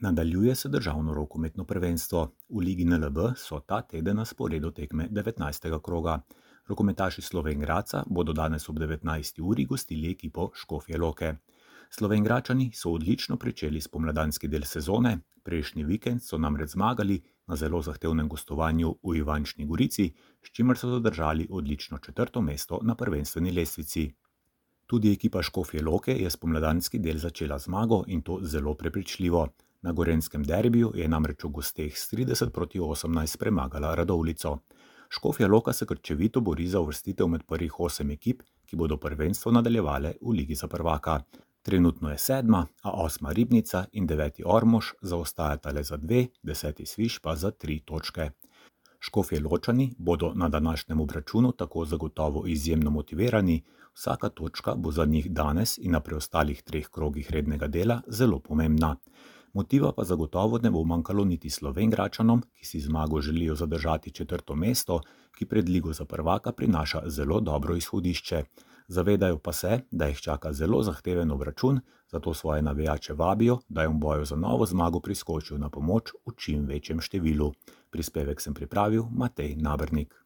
Nadaljuje se državno rokometno prvenstvo. V Ligi NLB so ta teden na sporedu tekme 19. kroga. Rokometaši Slovenj Gradca bodo danes ob 19. uri gostili ekipo Škofje Loke. Slovenjgračani so odlično pričeli spomladanski del sezone, prejšnji vikend so namreč zmagali na zelo zahtevnem gostovanju v Ivančni Gorici, s čimer so zadržali odlično 4. mesto na prvenstveni lestvici. Tudi ekipa Škofje Loke je spomladanski del začela zmago in to zelo prepričljivo. Na gorenjskem derbiju je namreč v gosteh s 30-18 premagala Radovljico. Škofja Loka se krčevito bori za uvrstitev med prvih 8 ekip, ki bodo prvenstvo nadaljevale v Ligi za prvaka. Trenutno je 7., a 8. Ribnica in 9. Ormož zaostajata le za 2, 10. Sviš pa za 3 točke. Škofjeločani bodo na današnjem obračunu tako zagotovo izjemno motivirani, vsaka točka bo za njih danes in na preostalih 3 krogih rednega dela zelo pomembna. Motiva pa zagotovo ne bo manjkalo niti Slovenjgračanom, ki si zmago želijo zadržati 4. mesto, ki pred Ligo za prvaka prinaša zelo dobro izhodišče. Zavedajo pa se, da jih čaka zelo zahteven obračun, zato svoje navijače vabijo, da jim v boju za novo zmago priskočijo na pomoč v čim večjem številu. Prispevek sem pripravil Matej Nabernik.